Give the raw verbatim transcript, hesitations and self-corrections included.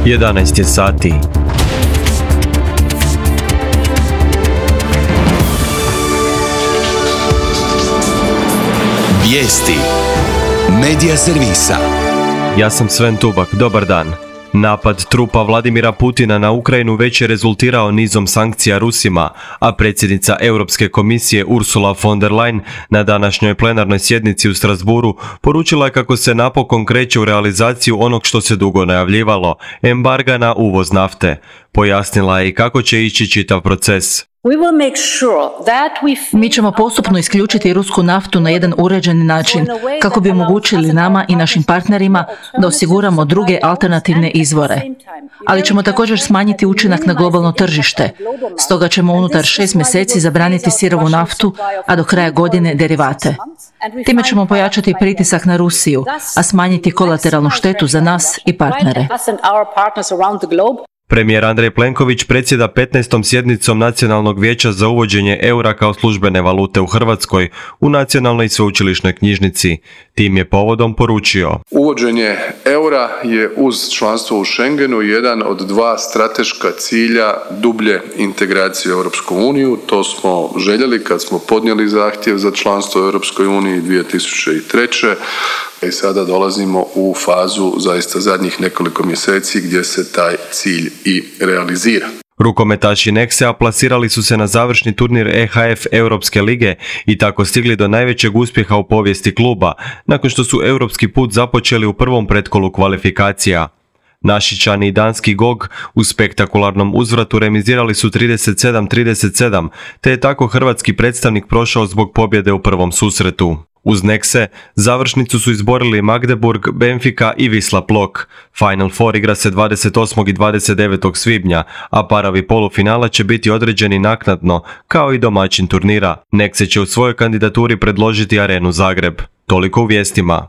jedanaest je sati. Vijesti Medija servisa. Ja sam Sven Tubak, dobar dan. Napad trupa Vladimira Putina na Ukrajinu već je rezultirao nizom sankcija Rusima, a predsjednica Europske komisije Ursula von der Leyen na današnjoj plenarnoj sjednici u Strasbourgu poručila je kako se napokon kreće u realizaciju onog što se dugo najavljivalo, embarga na uvoz nafte. Pojasnila je i kako će ići čitav proces. Mi ćemo postupno isključiti rusku naftu na jedan uređeni način, kako bi omogućili nama i našim partnerima da osiguramo druge alternativne izvore. Ali ćemo također smanjiti učinak na globalno tržište, stoga ćemo unutar šest mjeseci zabraniti sirovu naftu, a do kraja godine derivate. Time ćemo pojačati pritisak na Rusiju, a smanjiti kolateralnu štetu za nas i partnere. Premijer Andrej Plenković predsjeda petnaestom sjednicom Nacionalnog vijeća za uvođenje eura kao službene valute u Hrvatskoj u Nacionalnoj sveučilišnoj knjižnici. Tim je povodom poručio: Uvođenje eura je uz članstvo u Schengenu jedan od dva strateška cilja dublje integracije u Europsku uniju. To smo željeli kad smo podnijeli zahtjev za članstvo u Europskoj uniji dvije tisuće treće. I sada dolazimo u fazu zaista zadnjih nekoliko mjeseci gdje se taj cilj i realizira. Rukometaši Nexe plasirali su se na završni turnir E H F Europske lige i tako stigli do najvećeg uspjeha u povijesti kluba, nakon što su europski put započeli u prvom pretkolu kvalifikacija. Našičani i danski G O G u spektakularnom uzvratu remizirali su trideset sedam trideset sedam, te je tako hrvatski predstavnik prošao zbog pobjede u prvom susretu. Uz Nexe, završnicu su izborili Magdeburg, Benfica i Wisla Plock. Final Four igra se dvadeset osmog i dvadeset devetog svibnja, a parovi polufinala će biti određeni naknadno, kao i domaćin turnira. Nexe će u svojoj kandidaturi predložiti Arenu Zagreb. Toliko u vijestima.